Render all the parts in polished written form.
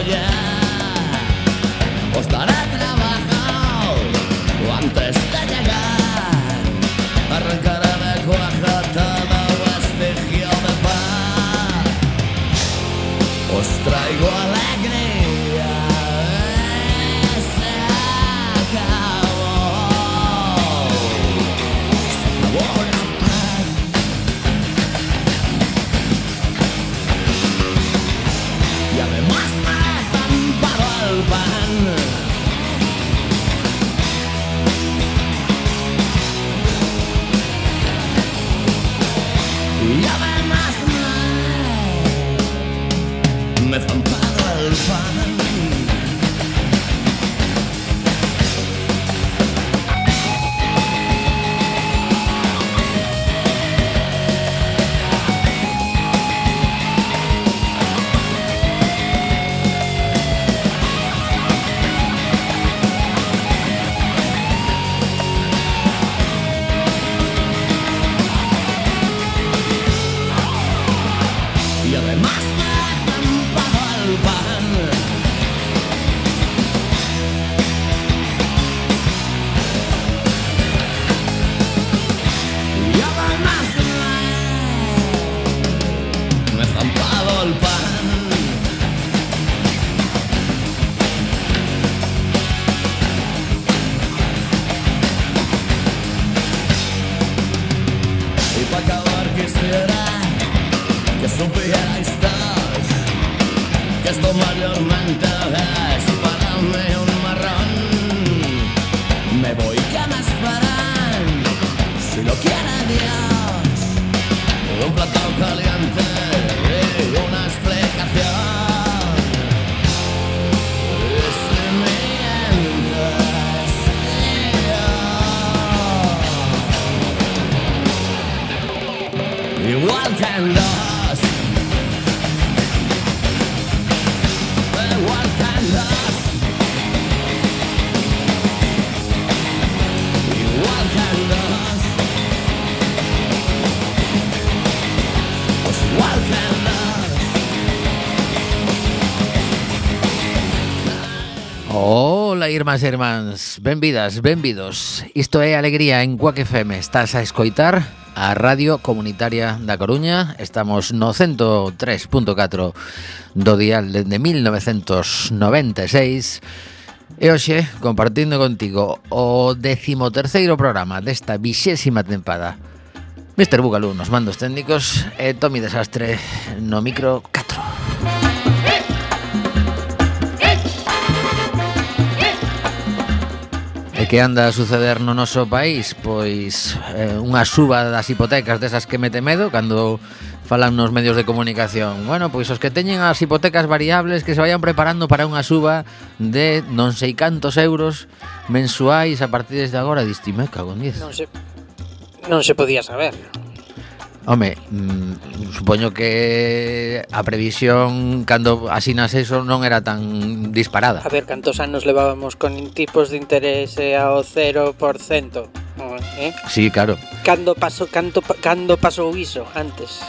ya. O estará trabajado o antes de llegar. Arrancará de cuaja todo vestigio de paz. Os traigo alegría. Se acabó. Se acabó la paz. Y además me he zampado el pan. Y además me he zampado el pan. Y además me he zampado el pan. Y además me he zampado el pan. Y para acabar quisiera que supierais todos que esto mayormente es para mí un marrón. Me voy, que me esperan, si lo quiere Dios, un plato caliente y una explicación. Y si mientes, yo igual que en los igual que en los igual que en los pues igual que en los. Ola, irmás e irmáns, benvidas, benvidos. Isto é Alegría en Cuac FM. Estás a escoitar a Radio Comunitaria da Coruña. Estamos no 103.4 do dial dende 1996. E hoxe, compartindo contigo o 13º programa desta 20ª tempada. Mr. Bugalú nos mandos técnicos e Tommy Desastre no micro 4. E que anda a suceder no noso país? Pois unha suba das hipotecas desas que mete medo cando falan nos medios de comunicación. Bueno, pois os que teñen as hipotecas variables que se vayan preparando para unha suba de non sei cantos euros mensuais a partir desde agora. Diste, me cago en 10. Non se podía saber. Home, supoño que a previsión cando asinas eso non era tan disparada. A ver, cantos anos levábamos con tipos de interés ao 0%, eh? Sí, claro. Cando pasou iso antes?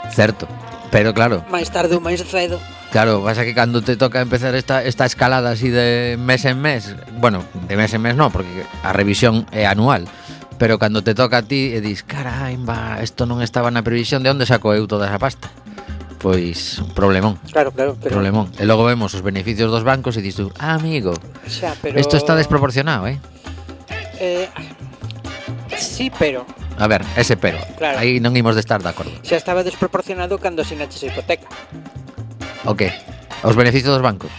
Certo, pero claro. Mais tarde ou máis cedo. Claro, pasa que cando te toca empezar esta escalada así de mes en mes, bueno, de mes en mes no, porque a revisión é anual. Pero cando te toca a ti e dis, caramba, isto non estaba na previsión, de onde saco eu toda esa pasta? Pois, problemón. Claro, pero... Problemón. E logo vemos os beneficios dos bancos e dis tú, amigo, xa, pero... isto está desproporcionado, Sí, pero... A ver, ese pero. Claro. Aí non imos de estar de acordo. Xa estaba desproporcionado cando asinaches a hipoteca. O que? Os beneficios dos bancos?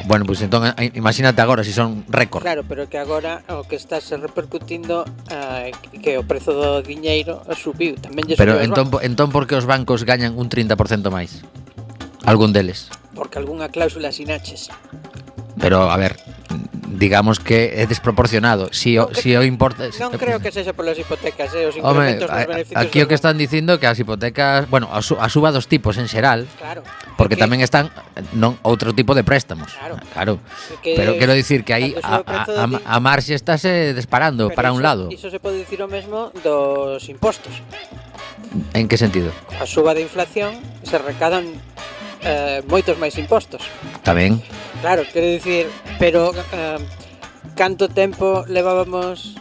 Bueno, pois entón imagínate agora se son récord. Claro, pero que agora o que está se repercutindo que o prezo do diñeiro subiu. Tamén lle pero subiu entón por que os bancos gañan un 30% máis? Algún deles. Porque algunha cláusula asinaches. Pero, a ver, digamos que é desproporcionado. Si o importa... Non creo que sexa polas hipotecas, os incrementos dos beneficios. Aquí o que están dicindo que as hipotecas, bueno, a suba dos tipos en xeral, claro, porque tamén están outro tipo de préstamos. Claro. Pero quero dicir que aí a marxe estáse disparando para un lado. Iso se pode dicir o mesmo dos impostos. En que sentido? A suba de inflación se recadan moitos máis impostos. Tamén. Claro, quero dicir, pero canto tempo levábamos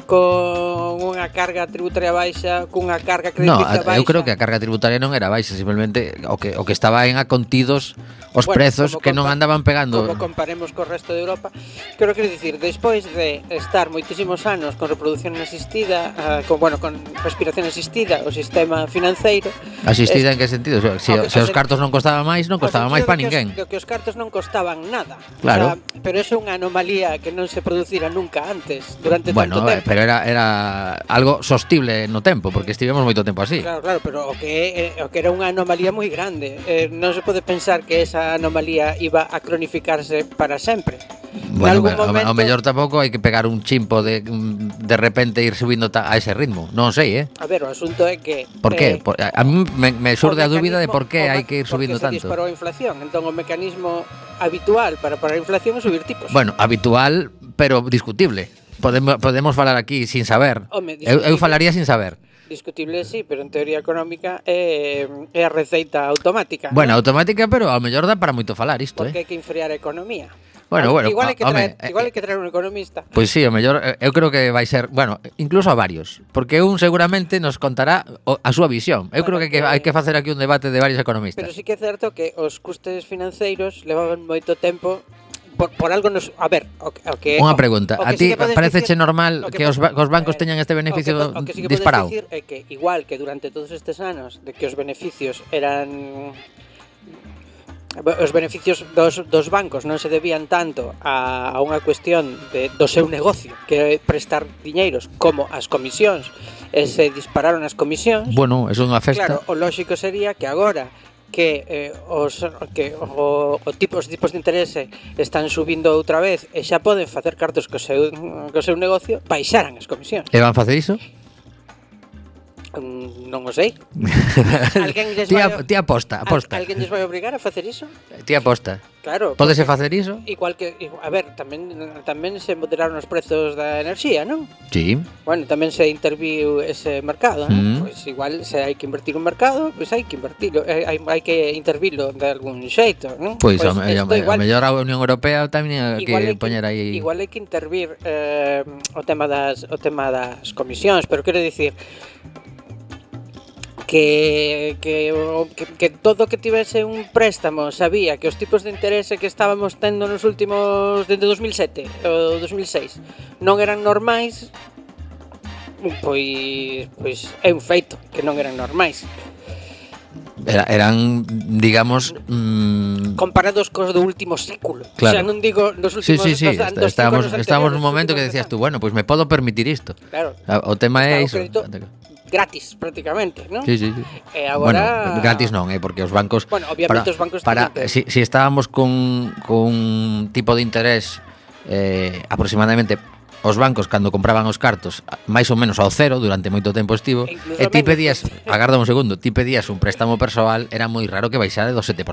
con unha carga tributaria baixa, cunha carga crediticia baixa? Eu creo que a carga tributaria non era baixa, simplemente o que estaba en acontidos os prezos que non andaban pegando. Como comparemos co resto de Europa, creo que dicir, despois de estar moitísimos anos con reproducción asistida, con respiración asistida, o sistema financeiro. Asistida en que sentido? Se os cartos non costaban máis, non costaba máis para ninguén. Que os cartos non costaban nada. Claro. O sea, pero é unha anomalía que non se producira nunca antes, durante tanto tempo. Pero era algo sostible no tempo, porque estivemos moito tempo así. Claro, pero o que era unha anomalía moi grande. Non se pode pensar que esa anomalía iba a cronificarse para sempre. Bueno, ao mellor tampouco hai que pegar un chimpo de repente ir subindo a ese ritmo. Non sei, A ver, o asunto é que... Por qué? A mí me xurde a dúbida de por qué hai que ir subindo tanto. Porque se disparou a inflación. Entón o mecanismo habitual para parar a inflación é subir tipos. Bueno, habitual, pero discutible. Podemos falar aquí sin saber. Eu falaría sin saber. Discutible sí, pero en teoría económica é a receita automática. Bueno, automática, pero ao mellor dá para moito falar isto, Porque hai que enfriar a economía. Bueno, igual hai que traer un economista. Pois sí, ao mellor eu creo que vai ser, incluso a varios, porque un seguramente nos contará a súa visión. Eu creo que hai que facer aquí un debate de varios economistas. Pero sí que é certo que os custes financeiros levaban moito tempo. Por algo nos... A ver, unha pregunta. A ti pareceche normal que os bancos teñan este beneficio disparado? O que sí que podes dicir é que igual que durante todos estes anos de que os beneficios eran... Os beneficios dos bancos non se debían tanto a unha cuestión do seu negocio, que é prestar diñeiros, como as comisións, e se dispararon as comisións. Bueno, é unha festa. Claro, o lógico sería que agora que os tipos de interese están subindo outra vez e xa poden facer cartos co seu negocio, baixaran as comisións. E van facer iso? Non o sei. Ti aposta. Alguén lles vai obrigar a facer iso? Ti aposta. Claro. Pódese facer iso? Igual que, a ver, tamén se moderaron os prezos da enerxía, non? Sí. Bueno, tamén se interviu ese mercado, non? Pois igual se hai que invertir un mercado, pois hai que invertirlo, hai que intervilo de algún xeito, non? Pois a mellor a Unión Europea tamén hai que poñer aí. Igual hai que intervir o tema das comisións, pero quero dicir que todo que tivese un préstamo sabía que os tipos de interese que estábamos tendo nos últimos desde 2007 ou 2006 non eran normais, pois é un feito que non eran normais. Eran, digamos, comparados cos do último século. Claro. O sea, non digo dos últimos estábamos nun momento que decías tú, bueno, pois me podo permitir isto. Claro. O tema é iso. Gratis, prácticamente, ¿no? Sí. E agora... Bueno, gratis non, porque os bancos... Bueno, obviamente os bancos... Si estábamos con un tipo de interés aproximadamente... Os bancos, cando compraban os cartos máis ou menos ao cero, durante moito tempo estivo, e ti pedías, agarda un segundo, ti pedías un préstamo persoal, era moi raro que baixara do 7%.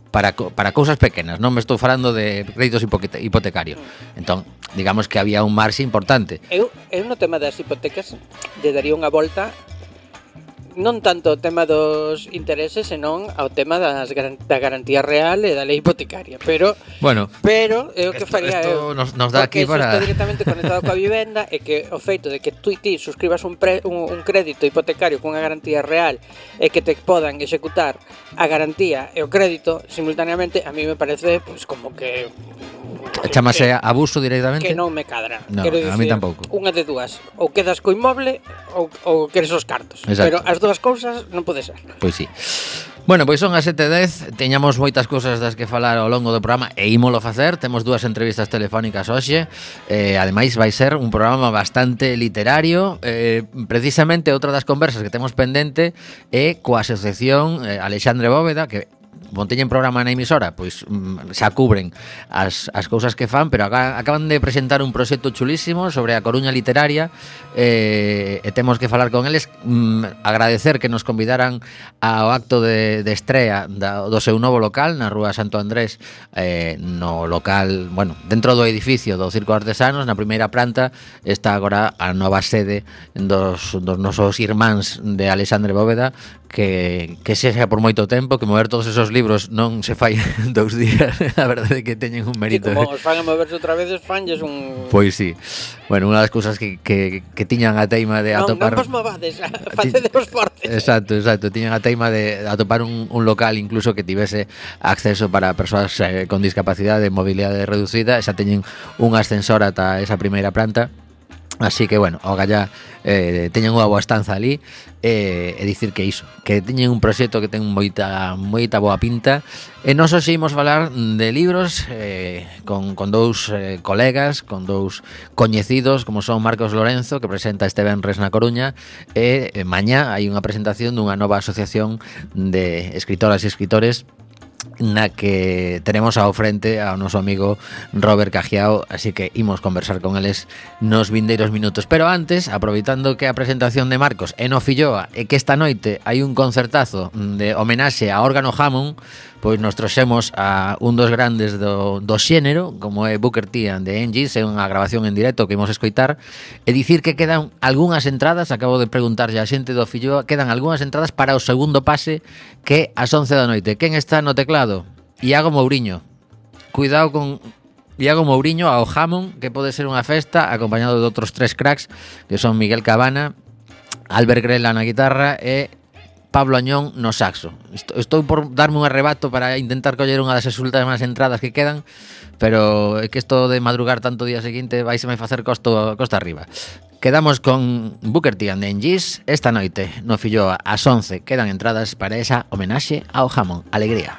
Para cousas pequenas, non me estou falando de créditos hipotecarios. Entón, digamos que había un marxe importante. Eu no tema das hipotecas lle daría unha volta, non tanto o tema dos intereses, senón ao tema da garantía real e da lei hipotecaria, pero é o que faría eu. Nos dá aquí para... Porque está directamente conectado coa vivenda e que o feito de que tú e ti suscribas un crédito hipotecario cunha garantía real e que te podan executar a garantía e o crédito simultaneamente, a mí me parece pues como que chamase abuso directamente. Que non me cadra. No, quero dicir, a mí tampouco. Unha de dúas, ou quedas co inmoble ou queres os cartos. Exacto. Pero as dúas cousas non pode ser. Pois sí. Bueno, pois son as 7:10, teñamos moitas cousas das que falar ao longo do programa e ímolo facer, temos 2 entrevistas telefónicas hoxe, ademais vai ser un programa bastante literario, precisamente outra das conversas que temos pendente é coa asociación Alexandre Bóveda, que teñen programa na emisora, pois xa cubren as cousas que fan, pero acaban de presentar un proxecto chulísimo sobre a Coruña literaria e temos que falar con eles, agradecer que nos convidaran ao acto de estrea do seu novo local na Rúa Santo Andrés, no local, bueno, dentro do edificio do Circo Artesanos, na primeira planta está agora a nova sede dos nosos irmáns de Alexandre Bóveda, que sexa por moito tempo, que mover todos esos libros non se fai en 2 días. A verdade é que teñen un mérito. E como os fan a moverse outra vez, fanlles un... Pois sí. Bueno, unha das cousas que tiñan a teima de atopar... Non vos movades, facedevos fortes. Exacto. Tiñan a teima de atopar un local incluso que tivese acceso para persoas con discapacidade de mobilidade reducida, e xa teñen un ascensor ata esa primeira planta. Así que, bueno, o galla teñen unha boa estanza ali, e dicir que iso, que teñen un proxecto que ten moita boa pinta. E nós hoxe imos falar de libros con dous colegas, con dous coñecidos, como son Marcos Lorenzo, que presenta este venres na Coruña, e mañá hai unha presentación dunha nova asociación de escritoras e escritores na que tenemos ao frente ao noso amigo Robert Cajiao, así que imos conversar con eles nos vindeiros minutos. Pero antes, aproveitando que a presentación de Marcos é no Filloa e que esta noite hai un concertazo de homenaxe a Órgano Hammond, pois nos trouxemos a un dos grandes do xénero, como é Booker T and the MGs, é unha grabación en directo que imos escoitar, e dicir que quedan algunhas entradas, acabo de preguntarlle a xente do Filloa, quedan algunhas entradas para o segundo pase, que ás 11 da noite. Quen está no teclado? Iago Mouriño. Cuidado con Iago Mouriño ao Hammond, que pode ser unha festa, acompañado de outros 3 cracks, que son Miguel Cabana, Albert Grela na guitarra e Pablo Añón no saxo. Estou por darme un arrebato para intentar coller unha das últimas entradas que quedan, pero é que isto de madrugar tanto día seguinte vais a me facer costa arriba. Quedamos con Booker T and the MGs esta noite no Filloa ás 11. Quedan entradas para esa homenaxe ao Hammond. Alegría.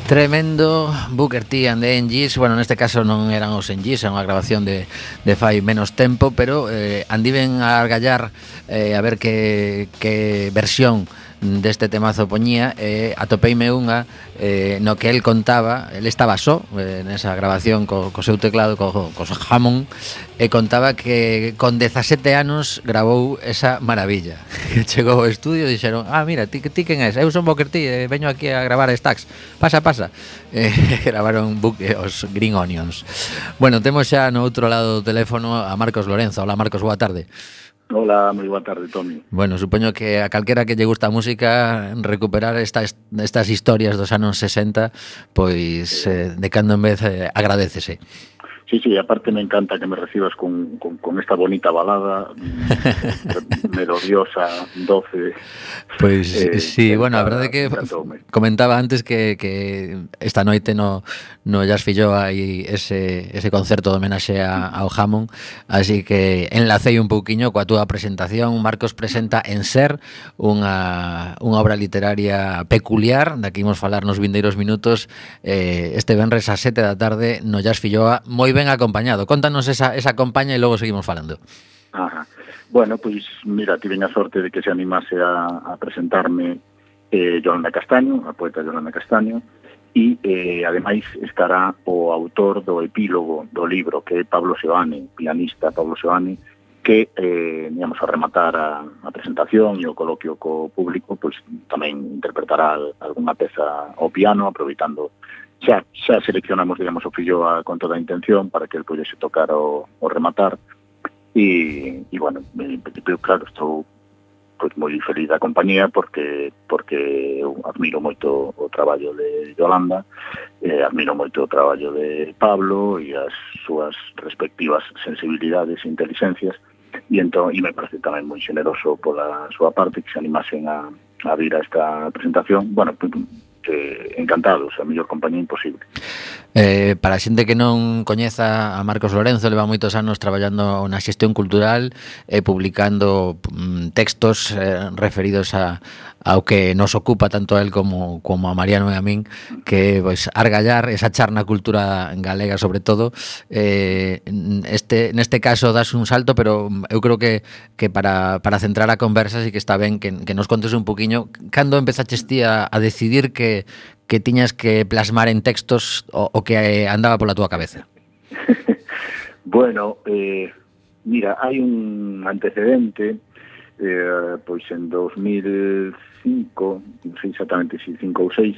Tremendo Booker T and the NGs. Bueno, neste caso non eran os NGs, era unha grabación de fai menos tempo, pero andiven a argallar a ver que versión deste temazo poñía, atopeime unha no que el contaba, el estaba só nesa grabación co seu teclado, co Hammond, e contaba que con 17 anos grabou esa maravilla. Que chegou ao estudio e dixeron: mira, ti quen és? Eu son Booker T, veño aquí a gravar Stax. Pasa. Gravaron os Green Onions. Bueno, temos xa no outro lado do teléfono a Marcos Lorenzo. Hola, Marcos, boa tarde. Hola, moi boa tarde, Toni. Bueno, supoño que a calquera que lle gusta a música, recuperar estas historias dos anos 60, pois de cando en vez agradécese. Sí, aparte me encanta que me recibas con esta bonita balada melodiosa, doce. Pois sí, bueno, a verdade é que comentaba antes que esta noite no Jazz Filloa hai ese concerto de homenaxe ao Hammond, así que enlacei un pouquiño coa túa presentación. Marcos presenta En Ser, unha obra literaria peculiar, da que imos falar nos vindeiros minutos, este venres a 7 da tarde no Jazz Filloa, moi ben acompañado. Contanos esa compaña e logo seguimos falando. Ajá. Bueno, pois mira, tive a sorte de que se animase a presentarme Yolanda Castaño, a poeta Yolanda Castaño, e ademais estará o autor do epílogo do libro, que é Pablo Seoane, pianista Pablo Seoane, que íamos a rematar a presentación e o coloquio co público, pois tamén interpretará algunha peza ao piano, aproveitando xa seleccionamos, digamos, o Filloa con toda a intención para que el pudese tocar o rematar e bueno, en principio, claro, estou pois moi feliz da compañía porque eu admiro moito o traballo de Yolanda, admiro moito o traballo de Pablo e as súas respectivas sensibilidades e inteligencias e me parece tamén moi xeneroso pola súa parte que se animasen a vir a esta presentación. Bueno, encantados, a mellor compañía imposible. Para a xente que non coñeza a Marcos Lorenzo, leva moitos anos traballando na xestión cultural e publicando textos referidos ao que nos ocupa tanto a él como a Mariano e a min, que pois argallar esa charna cultura galega sobre todo. Neste caso das un salto, pero eu creo que para centrar a conversa sí que está ben que nos contes un poquiño cando empezaches ti a decidir que tiñas que plasmar en textos o que andaba pola túa cabeza. Bueno, mira, hai un antecedente, pois en 2005, non sei exactamente se 5 ou 6,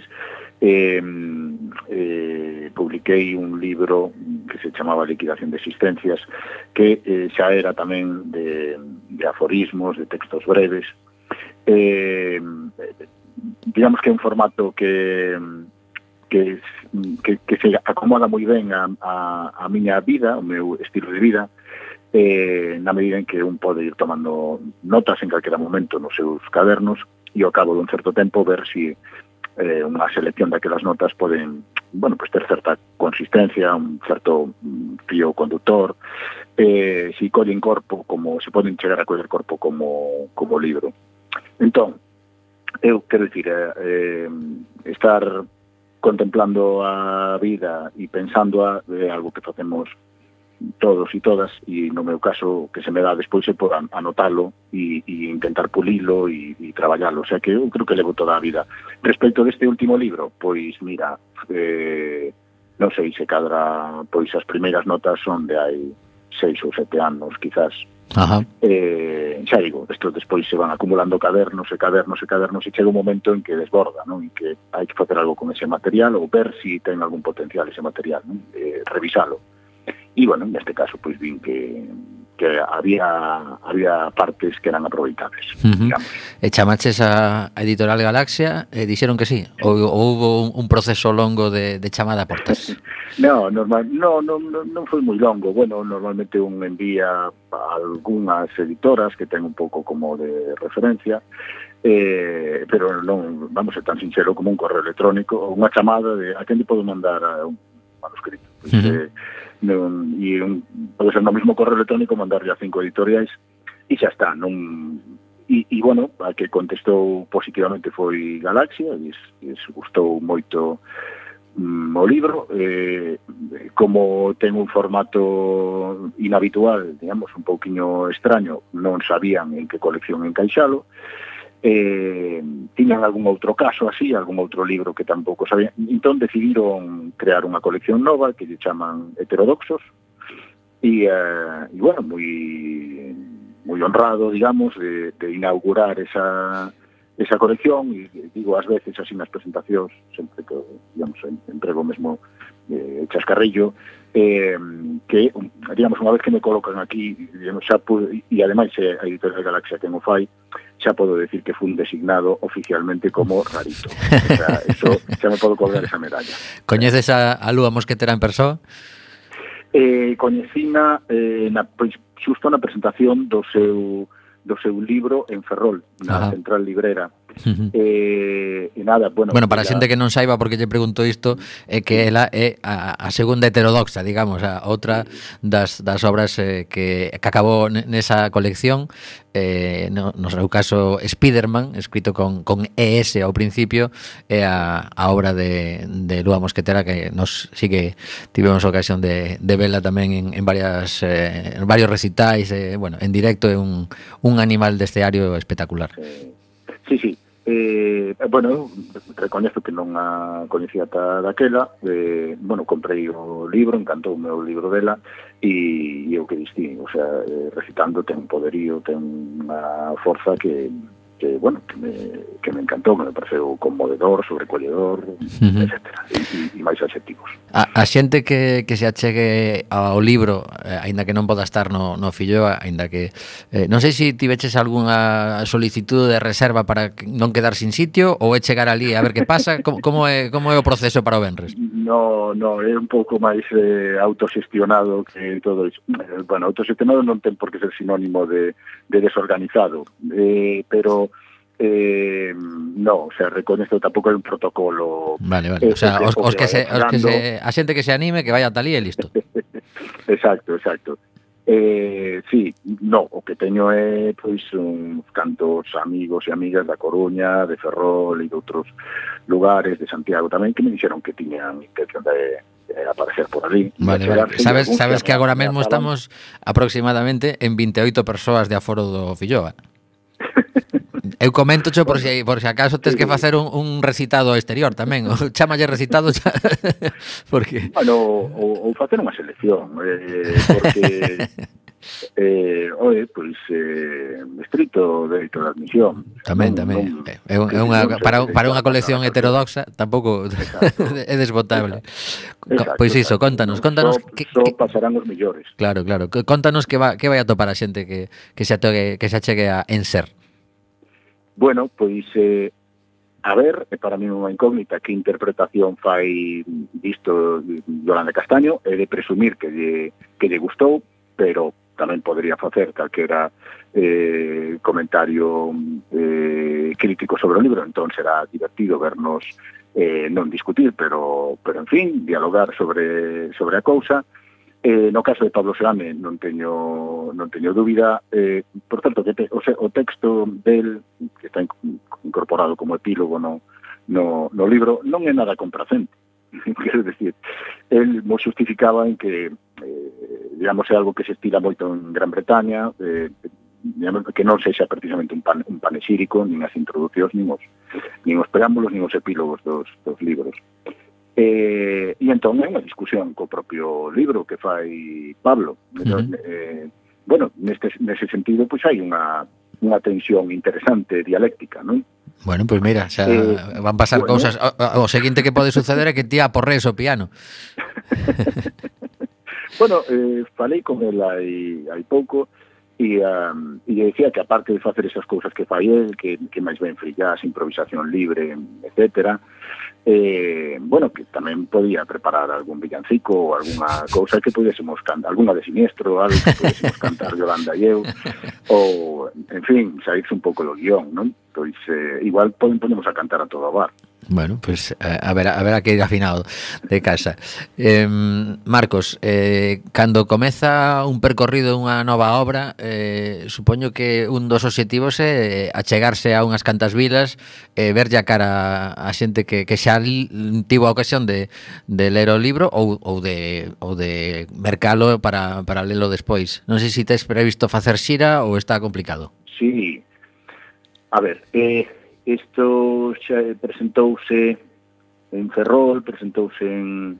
publiquei un libro que se chamaba Liquidación de Existencias, que xa era tamén de aforismos, de textos breves, digamos que é un formato que se acomoda moi ben a miña vida, o meu estilo de vida, na medida en que un pode ir tomando notas en calquera momento nos seus cadernos e ao cabo dun certo tempo ver se unha selección daquelas notas poden, bueno, pues ter certa consistencia, un certo fío conductor, se collen corpo, como se poden chegar a coller corpo como libro. Entón, eu quero dicir, estar contemplando a vida e pensando algo que facemos todos e todas, e no meu caso que se me dá despois é por anotalo e intentar pulilo e traballalo, o sea que eu creo que levo toda a vida. Respecto deste último libro, pois mira, non sei se cadra, pois as primeiras notas son de hai 6 ou 7 anos, quizás. Ajá. Xa digo, isto despois se van acumulando cadernos e chega un momento en que desborda, non? En que hai que facer algo con ese material ou ver se ten algún potencial ese material, non? Revisalo. E, bueno, neste caso, pois vin que había partes que eran aproveitables, digamos. E chamaches a Editorial Galaxia e dixeron que sí? Ou houve un proceso longo de chamada a portas? Non foi moi longo. Bueno, normalmente un envía a algunhas editoras que ten un pouco como de referencia, pero non, vamos, ser tan sincero como un correo electrónico ou unha chamada de a quen lle podo mandar un manuscrito. Pois, pode ser no mesmo correo electrónico mandarlle a 5 editoriais e xa está, non. E bueno, a que contestou positivamente foi Galaxia, e gustou moito o libro, como ten un formato inhabitual, digamos, un pouquiño extraño, non sabían en que colección encaixalo, tiñan algún outro caso así, algún outro libro que tampouco sabían, entón decidiron crear unha colección nova que lle chaman Heterodoxos, e bueno, moi honrado, digamos, de inaugurar esa colección, e digo ás veces así nas presentacións, sempre que, digamos, emprego mesmo chascarrillo, que, digamos, unha vez que me colocan aquí, xa e ademais a Editorial Galaxia que non fai, xa podo decir que fun designado oficialmente como rarito. O sea, eso, xa me podo colgar esa medalla. Coñeces a Lúa Mosquetera en persoa? Coñecina pois, xusto na presentación do seu libro en Ferrol, na Central Librera. E nada, bueno, para a xente que non saiba porque lle pregunto isto, é que ela é a segunda heterodoxa, digamos, a outra das obras que acabou nesa colección, no seu caso Spiderman, escrito con ES ao principio, é a obra de Lúa Mosquetera, que nos sí que tivemos ocasión de vela tamén en varios recitais, bueno, en directo, é un animal de esteario espectacular. Sí. Bueno, recoñezo que non a coñecía ata daquela, bueno, comprei o libro, encantoume o libro dela, e o que distí, o sea, recitando ten un poderío, ten unha forza que bueno, que me encantou, que me pareceu conmovedor, sobrecolledor, etcétera, e máis adxectivos. A xente que se achegue ao libro, aínda que non poda estar no Filloa, aínda que non sei se tiveches algunha solicitude de reserva para non quedar sin sitio, ou é chegar ali a ver que pasa, como é o proceso para o venres? No, é un pouco máis autoxestionado que todo iso. Bueno, autoxestionado non ten por que ser sinónimo de desorganizado, pero no, o sea, recoñezo tampouco hai un protocolo. Vale, o sea, a xente que se anime, que vaya ata ali e listo. Exacto. Sí, no, o que teño é pois uns cantos amigos e amigas da Coruña, de Ferrol e de outros lugares, de Santiago tamén, que me dixeron que tiñan intención de aparecer por ali. Vale. Sabes que agora mesmo estamos aproximadamente en 28 persoas de aforo do Filloa. Eu coméntocho por se acaso tes que facer un recitado exterior tamén, ou chámalle recitado porque ou facer unha selección, porque pois estrito dereito de admisión. Tamén. É para unha colección heterodoxa tampouco é desbotable. Pois iso, contanos que pasarán os millores. Claro, contanos que vai a topar a xente que se achegue a Enser. Bueno, pois a ver, para mí unha incógnita que interpretación fai disto Yolanda Castaño, é de presumir que lle gustou, pero tamén podría facer calquera comentario crítico sobre o libro, entón será divertido vernos non discutir, pero en fin, dialogar sobre a cousa. No caso de Pablo Seame non teño dúbida, por tanto, que o texto del, que está incorporado como epílogo no libro, non é nada complacente. Quero decir, el mo justificaba en que digamos, é algo que se estila moito en Gran Bretaña, digamos, que non sexa precisamente un panexírico, nin as introducións, nin os preámbulos, nin os epílogos dos libros. E entón é unha discusión co propio libro que fai Pablo. Bueno, nese sentido, pois hai unha tensión interesante dialéctica, non? Bueno, pois mira, xa van pasar cousas. O seguinte que pode suceder é que ti aporrees o piano. Bueno, falei con el hai pouco e decía que aparte de facer esas cousas que fai el, que máis ben frillás, improvisación libre, etcétera, bueno, que tamén podía preparar algún villancico ou alguna cousa que pudésemos cantar, alguna de Siniestro, algo que pudésemos cantar Yolanda e eu, ou, en fin, saírse un pouco do guión, non? Pois igual podemos a cantar a todo o bar. Bueno, pues a ver que ir afinado de casa. Marcos, cando comeza un percorrido, unha nova obra, supoño que un dos obxectivos é achegarse a unhas cantas vilas, verlle a cara a xente que xa tivo a ocasión de ler o libro ou de mercalo para lelo despois. Non sei se tes previsto facer xira ou está complicado. Sí, a ver, isto xa presentouse en Ferrol, presentouse en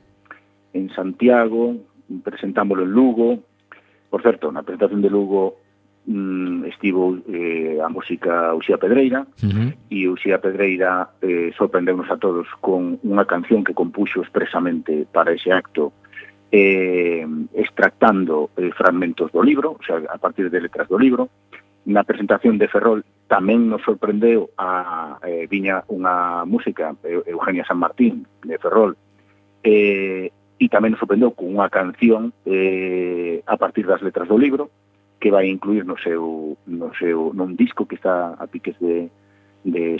Santiago, presentámoslo en Lugo. Por certo, na presentación de Lugo estivo a música Uxía Pedreira, e Uxía Pedreira sorprendeunos a todos con unha canción que compuxo expresamente para ese acto, extractando fragmentos do libro, o sea, a partir de letras do libro. Na presentación de Ferrol tamén nos sorprendeu viña unha música, Eugenia San Martín, de Ferrol, e tamén nos sorprendeu con unha canción a partir das letras do libro, que vai incluir nun disco que está a piques de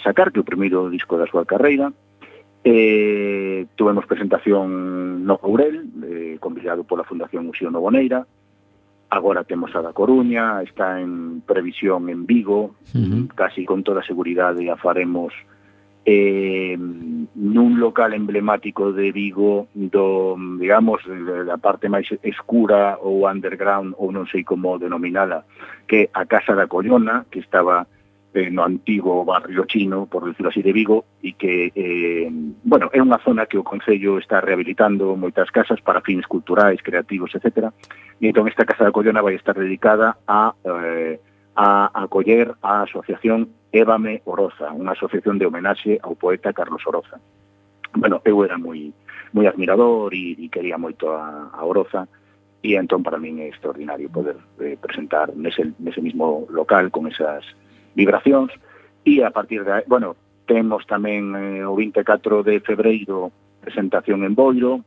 sacar, que é o primeiro disco da súa carreira. Tuvemos presentación no Courel, convidado pola Fundación Uxío Novoneira. Agora temos a da Coruña, está en previsión en Vigo, casi con toda seguridade a faremos nun local emblemático de Vigo, digamos, da parte máis escura ou underground, ou non sei como denominala, que a Casa da Collona, que estaba no antigo barrio chino, por decirlo así, de Vigo, e que, bueno, é unha zona que o Concello está rehabilitando moitas casas para fins culturais, creativos, etc. E entón esta Casa da Collona vai estar dedicada a acoller a asociación Évame Oroza, unha asociación de homenaxe ao poeta Carlos Oroza. Bueno, eu era moi admirador e quería moito a Oroza, e entón para min é extraordinario poder presentar nese mismo local con esas vibracións. E a partir de, bueno, temos tamén o 24 de febreiro presentación en Boiro,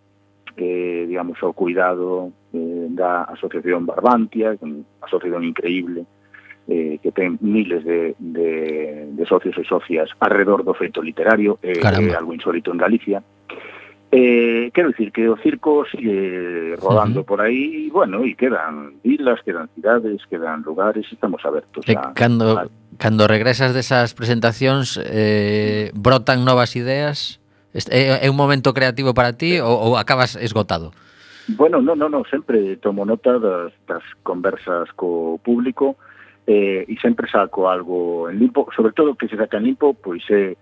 digamos, ao cuidado da Asociación Barbantia, unha asociación increíble, que ten miles de socios e socias alrededor do feito literario, é algo insólito en Galicia. Quero dicir que o circo sigue rodando por aí, bueno, e quedan vilas, quedan cidades, quedan lugares, estamos abertos a... Cando regresas desas presentacións, brotan novas ideas? É un momento creativo para ti ou acabas esgotado? Bueno, non, sempre tomo nota das conversas co público, e sempre saco algo en limpo, sobre todo que se saca en limpo, pois é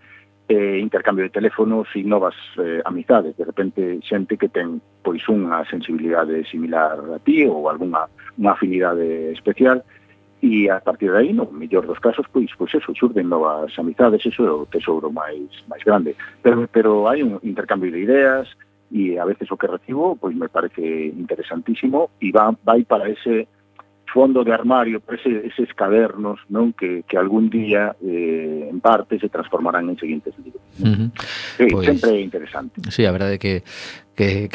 intercambio de teléfonos e novas amizades, de repente xente que ten pois unha sensibilidade similar a ti ou unha afinidade especial, e a partir de aí, no mellor dos casos, pois eso, xurden novas amizades, eso é o tesouro máis grande, pero hai un intercambio de ideas, e a veces o que recibo pois me parece interesantísimo, e vai para ese fondo de armario, para eses cadernos, non, que algún día en parte se transformarán en seguintes libros. Sí, pues, sempre é interesante. Sí, a verdade é que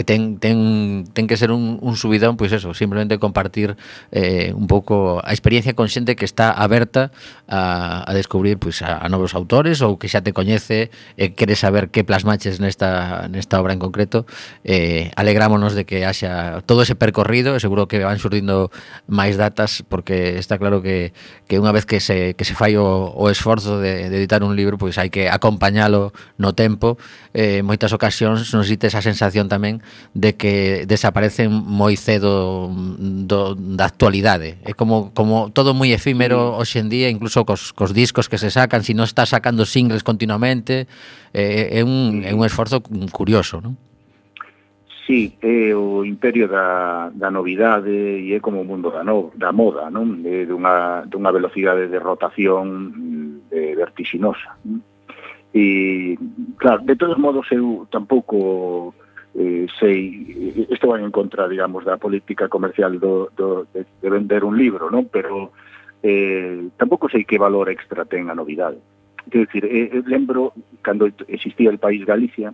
ten que ser un subidón, pois eso, simplemente compartir un pouco a experiencia con xente que está aberta a descubrir pois a novos autores ou que xa te coñece e quere saber que plasmaches nesta obra en concreto. Alegrámonos de que haxa todo ese percorrido, e seguro que van surdindo máis datas, porque está claro que unha vez que se fai o esforzo de editar un libro, pois hai que acompañalo no tempo. Moitas ocasións nos dite esa sensación tamén de que desaparecen moi cedo da actualidade. É como todo moi efímero hoxe en día, incluso cos discos que se sacan, se non está sacando singles continuamente, é un esforzo curioso, non? Sí, é o imperio da novidade, e é como o mundo da moda, non? Dunha velocidade de rotación vertixinosa. E, claro, de todos modos, eu tampouco sei, isto vai en contra, digamos, da política comercial de vender un libro, non? Pero tampouco sei que valor extra ten a novidade. Quero dicir, lembro, cando existía El País Galicia,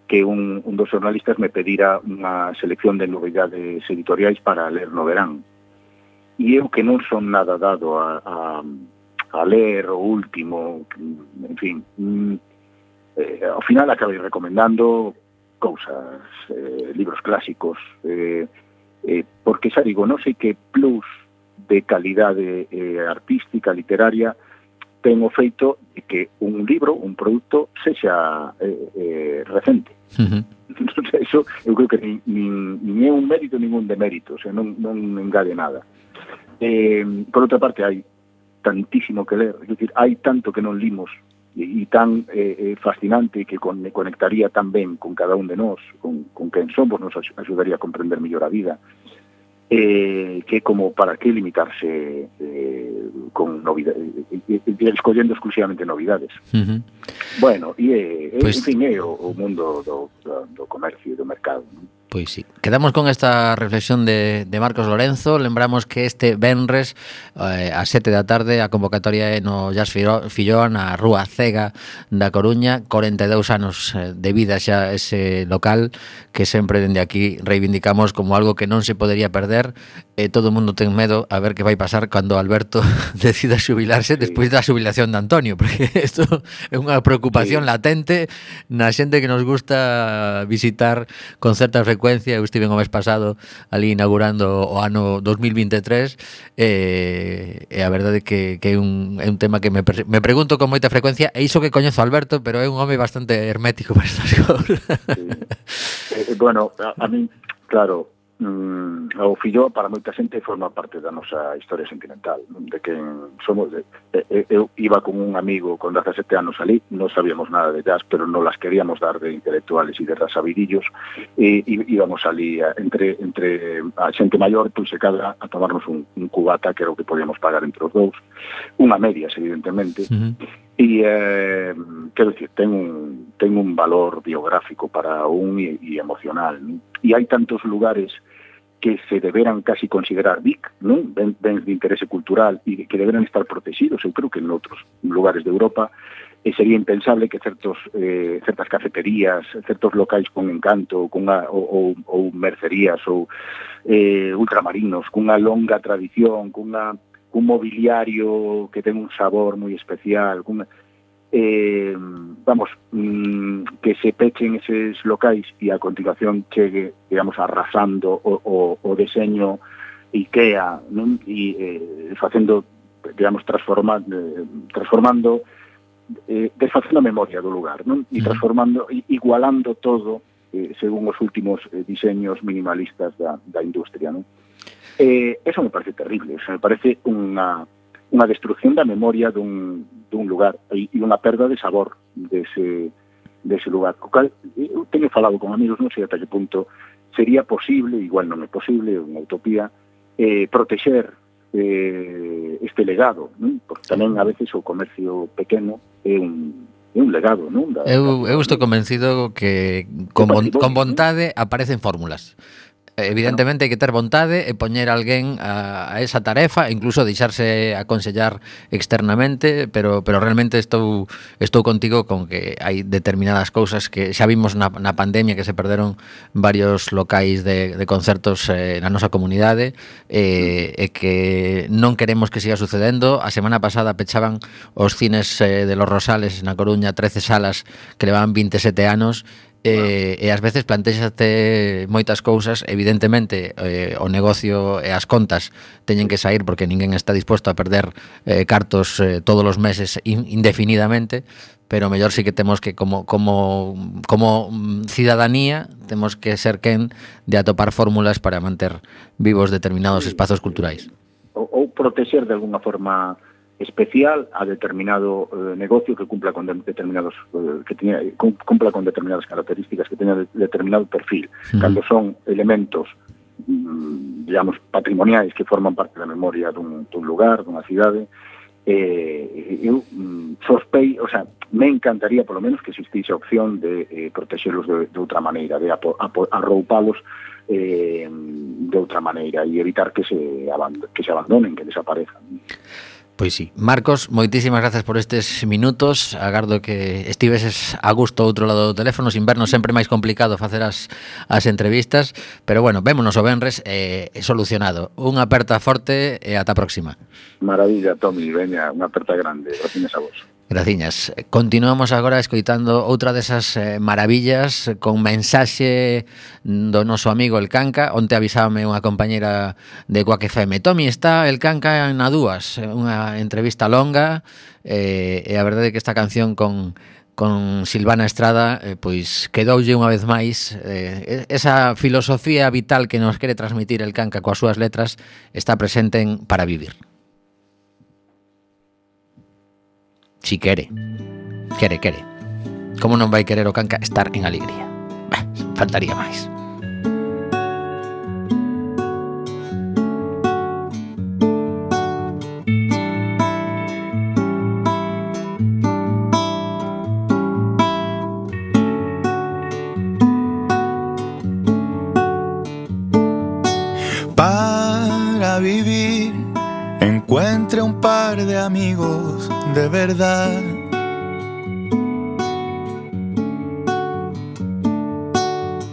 que un dos xornalistas me pedira unha selección de novidades editoriais para ler no verán. E eu que non son nada dado a ler o último, en fin, ao final acabei recomendando cousas, libros clásicos, porque xa digo, non sei que plus de calidade artística, literaria, ten o feito de que un libro, un produto, sexa recente. Eso eu creo que nin é un mérito nin un demérito, o sea, non engade nada. Por outra parte, hai tantísimo que ler, é dicir, hai tanto que non limos e tan fascinante que conectaría tan ben con cada un de nós, con quen somos, nos axudaría a comprender mellor a vida, que como para que limitarse con novidades, escollendo exclusivamente novidades. Bueno, e en fin, é o mundo do comercio e do mercado, non? Pois sí. Quedamos con esta reflexión de Marcos Lorenzo. Lembramos que este venres a 7 da tarde a convocatoria é no Jazz Fillón, na Rúa Cega da Coruña. 42 anos de vida xa ese local que sempre dende aquí reivindicamos como algo que non se podería perder. Todo o mundo ten medo a ver que vai pasar cando Alberto decida xubilarse despois da xubilación de Antonio, porque isto é unha preocupación latente na xente que nos gusta visitar con certa frecuencia. Eu estive o mes pasado ali inaugurando o ano 2023 e a verdade que é un tema que me pregunto con moita frecuencia, e iso que coñezo a Alberto, pero é un home bastante hermético para estas cousas. Bueno, a mí, claro, o Filló para moita xente forma parte da nosa historia sentimental, de que somos eu iba con un amigo con 17 anos ali, non sabíamos nada de jazz, pero non las queríamos dar de intelectuales e de rasabidillos, e íbamos ali entre a xente maior, pois se cada a tomarnos un cubata, que era o que podíamos pagar entre os dous, unha medias, evidentemente. E quero dicir, ten un valor biográfico para un e emocional, non? E hai tantos lugares que se deberan casi considerar BIC, non? Bens de interese cultural e que deberan estar protegidos. Eu creo que en outros lugares de Europa sería impensable que certas cafeterías, certos locais con encanto, ou mercerías ou ultramarinos, cunha longa tradición, cun mobiliario que ten un sabor moi especial, que se pechen eses locais e a continuación chegue, digamos, arrasando o deseño IKEA, non? E facendo, digamos, transformando desfacendo a memoria do lugar, non? E transformando, igualando todo según os últimos diseños minimalistas da industria, non? Eso me parece terrible, me parece unha destrucción da memoria dun lugar e unha perda de sabor dese lugar. O cal, eu teño falado con amigos, non sei ata que punto sería posible, igual non é posible, unha utopía, protexer este legado, non? Porque tamén a veces o comercio pequeno é un legado, non? Eu estou convencido que con vontade aparecen fórmulas. Evidentemente hai que ter vontade e poñer alguén a esa tarefa, incluso deixarse aconsellar externamente, pero realmente estou contigo con que hai determinadas cousas que xa vimos na pandemia, que se perderon varios locais de concertos na nosa comunidade, e que non queremos que siga sucedendo. A semana pasada pechaban os cines de Los Rosales na Coruña, 13 salas que levaban 27 anos, e ás veces plantéxate moitas cousas. Evidentemente o negocio e as contas teñen que sair porque ninguén está disposto a perder cartos todos os meses indefinidamente, pero mellor sí que temos que como cidadanía temos que ser quen de atopar fórmulas para manter vivos determinados espazos culturais ou protexer de alguna forma especial a determinado negocio que cumpla con determinadas características, que teña determinado perfil. Cando son elementos, digamos, patrimoniais que forman parte da memoria dun lugar, dunha cidade, eu sospei, o sea, me encantaría polo menos que existise a opción de protexelos de outra maneira, de arroupalos de outra maneira e evitar que se abandonen, que desaparezcan. Pois sí. Marcos, moitísimas grazas por estes minutos. Agardo que estiveses a gusto ao outro lado do teléfono, sin vernos sempre máis complicado facer as entrevistas, pero bueno, vémonos o venres solucionado. Unha aperta forte e ata a próxima. Maravilla, Tomi, veña, unha aperta grande. Gracias a vos. Graciñas. Continuamos agora escoitando outra desas maravillas con mensaxe do noso amigo El Canca. Onte avisábame unha compañera de Quack FM: Tomi, está El Canca na dúas, unha entrevista longa, e a verdade é que esta canción con Silvana Estrada pois quedoulle unha vez máis esa filosofía vital que nos quere transmitir El Canca coas súas letras está presente en Para Vivir. Si quere. Como non vai querer o Canca estar en alegría? Faltaría máis. Para vivir, encuentre un par de amigos de verdad.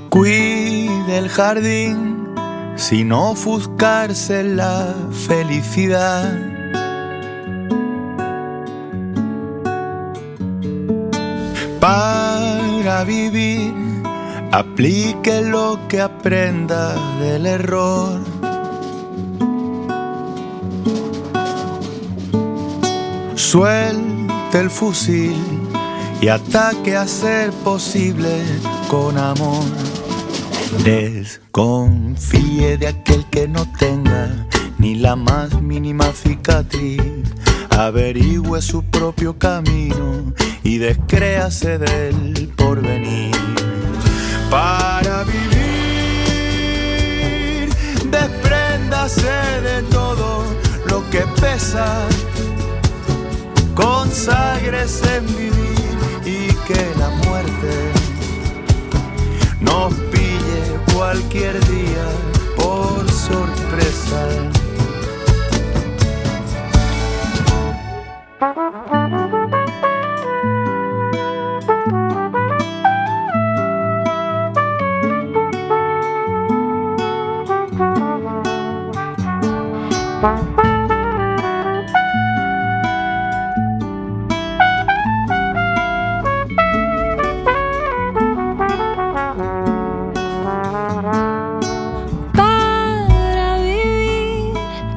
Cuide el jardín sin ofuscarse la felicidad. Para vivir, aplique lo que aprenda del error. Suelte el fusil y ataque a ser posible con amor. Desconfíe de aquel que no tenga ni la más mínima cicatriz. Averigüe su propio camino y descréase del porvenir. Para vivir, despréndase de todo lo que pesa. Conságrese en vivir y que la muerte nos pille cualquier día por sorpresa.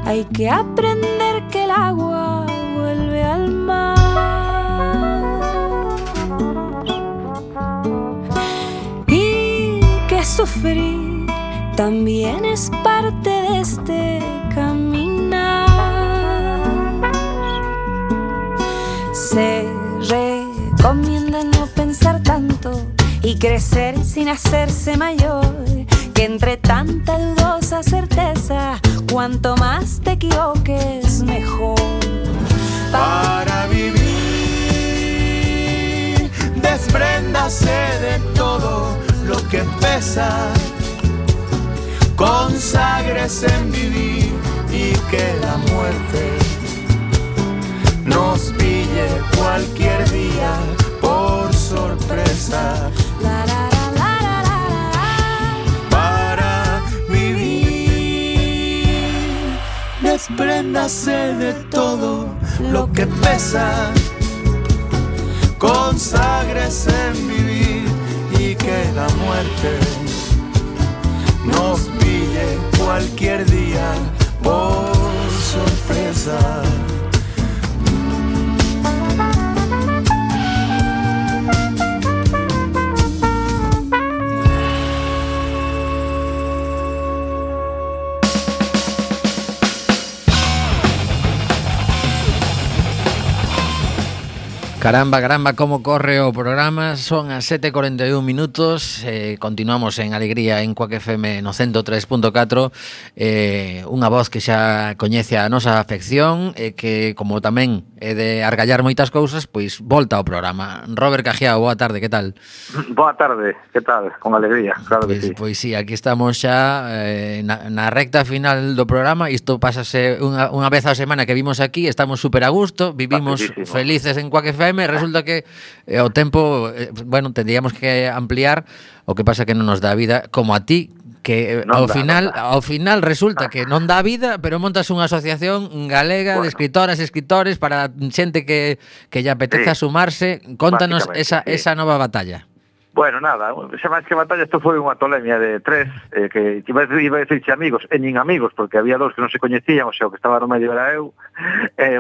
Hay que aprender que el agua vuelve al mar y que sufrir también es parte de este caminar. Se recomienda no pensar tanto y crecer sin hacerse mayor, que entre tanta dudosa certeza, cuanto más te equivoques, mejor. Para vivir, despréndase de todo lo que pesa. Conságrese en vivir y que la muerte nos pille cualquier día por sorpresa. Despréndase de todo lo que pesa. Conságrese en vivir y que la muerte nos pille cualquier día por sorpresa. Caramba, como corre o programa. Son as 7:41 minutos. Continuamos en alegría en Quack FM no 103.4. Unha voz que xa coñece a nosa afección e que, como tamén é de argallar moitas cousas, pois volta ao programa. Robert Cajiao, boa tarde, que tal? Boa tarde, que tal? Con alegría, claro que sí. Pois sí, aquí estamos xa na recta final do programa. Isto pásase unha vez a semana que vimos aquí. Estamos super a gusto, vivimos felices en Quack FM. Resulta que o tempo, bueno, tendríamos que ampliar O que pasa que non nos dá vida como a ti, que ao final resulta que non dá vida, pero montas unha asociación galega de escritoras e escritores para xente que lle apeteza sumarse. Contanos esa nova batalla. Bueno, nada, xa máis que batalla, isto foi unha tolemia de tres, que iba a decirse amigos, e nin amigos, porque había dos que non se coñecían, o sea, o que estaba no medio era eu,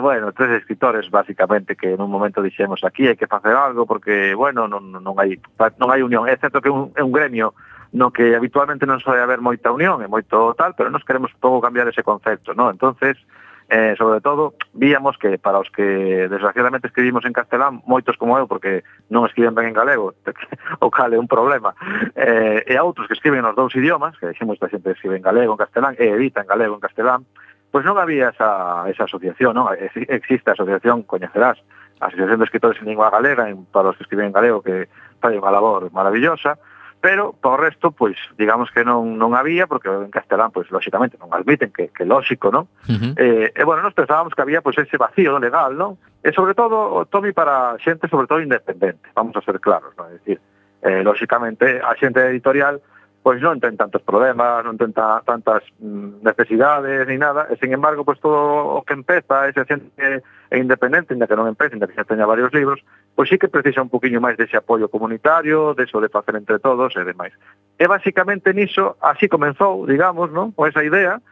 bueno, tres escritores, basicamente, que nun momento dixemos aquí hai que facer algo, porque, bueno, non hai unión, é certo que é un gremio no que habitualmente non soe haber moita unión, e moito tal, pero nos queremos un pouco cambiar ese concepto, ¿no? Entonces, sobre todo, víamos que para os que desgraciadamente escribimos en castelán, moitos como eu, porque non escriben ben en galego, o cal é un problema, e a outros que escriben nos dous idiomas, que dixemos que sempre escribe en galego, en castelán, e edita en galego, en castelán, pois non había esa asociación, non? Existe a asociación, coñecerás, a Asociación de Escritores en Lingua Galega, para os que escriben en galego, que fai unha labor maravillosa, pero, por o resto, pois, digamos que non había, porque en castelán, pois, lóxicamente, non admiten, que lóxico, non? E, bueno, nos pensábamos que había, pois, ese vacío legal, non? E, sobre todo, Tomi, para xente, sobre todo, independente, vamos a ser claros, non? É dicir, lóxicamente, a xente editorial, pois non ten tantos problemas, non ten tantas necesidades, ni nada, e, sin embargo, pois, todo o que empeza, ese xente independente, ainda que non empece, ainda que xa teña varios libros, pois sí que precisa un poquinho máis dese apoio comunitario, deso de facer entre todos e demais. E basicamente niso, así comenzou, digamos, non? Con esa idea,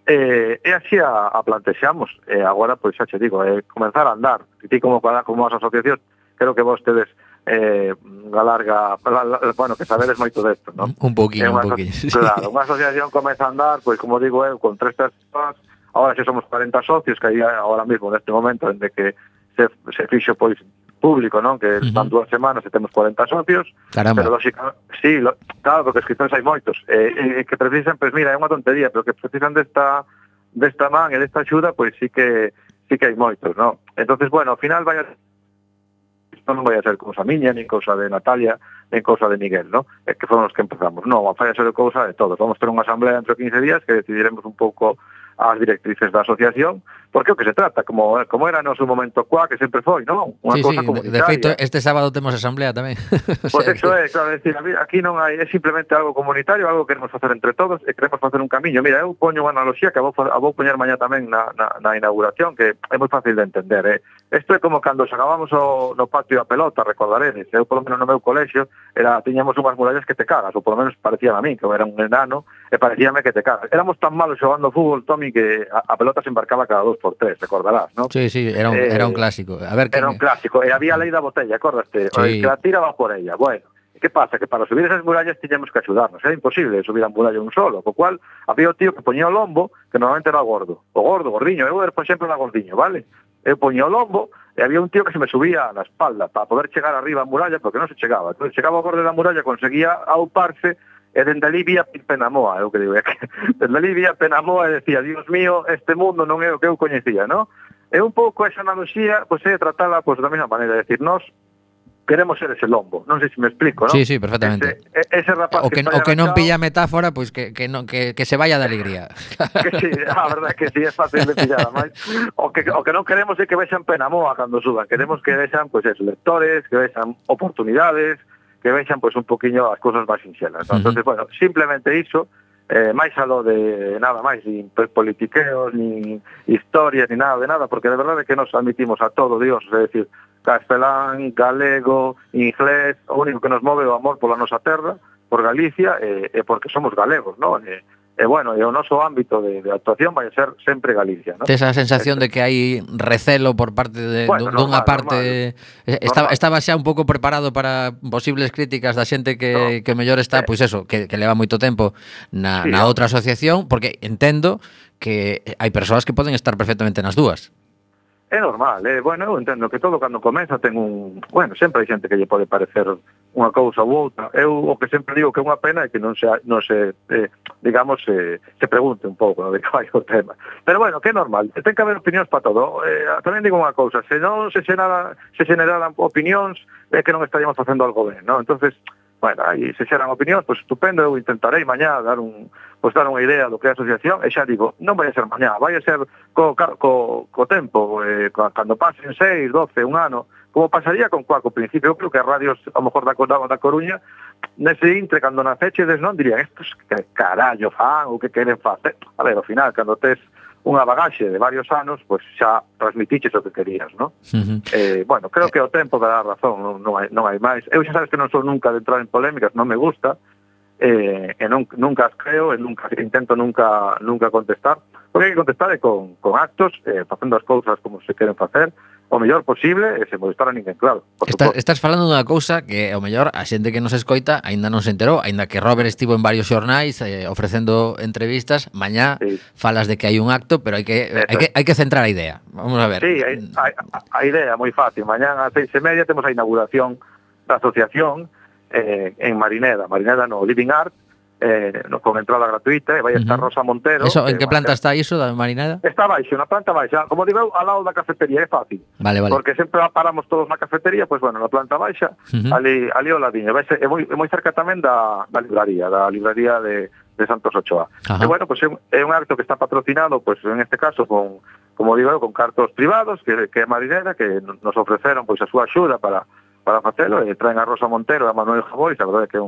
e así a plantexamos. E agora, pois xa che digo, comenzar a andar. E ti como as asociacións, creo que vos tedes galarga, bueno, que sabedes moito desto, non? Un poquinho. Claro, unha asociación comeza a andar, pois como digo eu, con 3 persoas, agora xa somos 40 socios, que aí agora mesmo, neste momento, dende que se fixo, pois, público, non? Que van 2 semanas e temos 40 socios. Caramba. Pero claro, porque escritores hai moitos. Que precisan, pois mira, é unha tontería, pero que precisan desta man e desta axuda, pois sí que hai moitos, non? Entonces, bueno, ao final non vai a ser cousa miña, nin cousa de Natalia, nin cousa de Miguel, non? Que foron os que empezamos. Non, vai a ser cousa de todos. Vamos ter unha asamblea dentro de 15 días que decidiremos un pouco as directrices da asociación, porque o que se trata, como era no seu momento que sempre foi, non? Unha cousa comunitaria. De feito, este sábado temos asamblea tamén. Pois eso é, claro, decir, aquí non hai, é simplemente algo comunitario, algo que queremos facer entre todos, e queremos facer un camiño. Mira, eu poño unha analogía que vou poñer mañá tamén na inauguración, que é moi fácil de entender, Isto é como cando xogávamos no patio a pelota, recordaredes. Eu, polo menos no meu colexio, tiñamos unhas murallas que te cagas, ou polo menos parecía a mí, que eu era un enano, e parecíame que te cagas. Éramos tan malos xogando fútbol, Tomi, que a pelota se embarcaba cada 2x3, recordarás, non? Sí, era un clásico. Era un clásico, e había a lei da botella, acordaste? Sí. Que la tira va por ella. Bueno, que pasa? Que para subir esas murallas tiñamos que axudarnos, era imposible subir a muralla un solo, co cual había o tío que poñía o lombo, que normalmente era o gordiño, eu era, por exemplo, era gordiño, vale? Eu poñía o lombo, e había un tío que se me subía na espalda para poder chegar arriba a muralla, porque non se chegaba. Entón, chegaba ao borde da muralla, conseguía auparse, e dende ali vía Penamoa, eu que digo, dende ali vía Penamoa e decía, Dios mío, este mundo non é o que eu coñecía, non? E un pouco esa analogía, pois é tratala da mesma maneira, é dicir, nós queremos ser ese lombo, non sei se me explico, non? Sí, perfectamente. Ese rapaz o que non pilla metáfora, pois que se vaya de alegría. Que sí, a verdade que sí, é fácil de pillar, máis. O que non queremos é que vexan Penamoa cando suban, queremos que vexan, pois, lectores, que vexan oportunidades, que vexan, pois, un poquinho as cousas máis sinxelas. Entonces, bueno, simplemente iso, máis alo de nada máis, nin politiqueos, nin historias, nin nada de nada, porque de verdade que nos admitimos a todo, Dios, é dicir, castelán, galego, inglés, o único que nos move o amor pola nosa terra, por Galicia, e porque somos galegos, non? E bueno, e o noso ámbito de actuación vai ser sempre Galicia, non? Tes a sensación de que hai recelo por parte dunha parte... Estaba xa un pouco preparado para posibles críticas da xente que mellor está, pois eso, que leva moito tempo na outra asociación, porque entendo que hai persoas que poden estar perfectamente nas dúas. É normal, bueno, eu entendo que todo cando comeza ten bueno, sempre hai xente que lle pode parecer unha cousa ou outra. Eu o que sempre digo que é unha pena é que non se digamos, se pregunte un pouco de que vai o tema. Pero bueno, que é normal, ten que haber opinións para todo. Tamén digo unha cousa, se non se xeneraran opinións, é que non estaríamos facendo algo ben, non? Entonces, bueno, aí se xeran opinións, pois estupendo, eu intentarei mañá dar unha idea do que é a asociación, e xa digo, non vai a ser mañá, vai a ser co tempo, cando pasen 6, 12, un ano, como pasaría con Cuac ao principio. Eu creo que as radios, a lo mejor da Coruña, nese intre, cando nacechedes, non dirían, estos que carallo fan ou que queren facer. A ver, ao final, cando tes unha bagaxe de varios anos, pois xa transmitiches o que querías, non? Bueno, creo que o tempo dará razón, non hai máis. Eu xa sabes que non sou nunca de entrar en polémicas, non me gusta, e nunca as creo, e intento nunca contestar, porque hai que contestar con actos, facendo as cousas como se queren facer, o mellor posible e sen molestar a ninguén, claro. Estás falando dunha cousa que ao mellor a xente que nos escoita aínda non se enterou, aínda que Robert estivo en varios xornais ofrecendo entrevistas, mañá falas de que hai un acto, pero hai que centrar a idea. Vamos a ver. Sí, a idea moi fácil. Mañá ás 6:30 temos a inauguración da asociación en Marineda no Living Art, con entrada gratuita, e vai estar Rosa Montero. Eso, en que planta está iso da Marineda? Está baixo, na planta baixa, como digo, ao lado da cafetería, é fácil. Vale. Porque sempre paramos todos na cafetería, pois bueno, na planta baixa, ali ao ladiño. É moi cerca tamén da libraría de Santos Ochoa. E bueno, pois é un acto que está patrocinado, pois en este caso como digo eu, con cartos privados que é Marineda, que nos ofreceron pois a súa axuda para facelo, e traen a Rosa Montero e a Manuel Javois, a verdade que é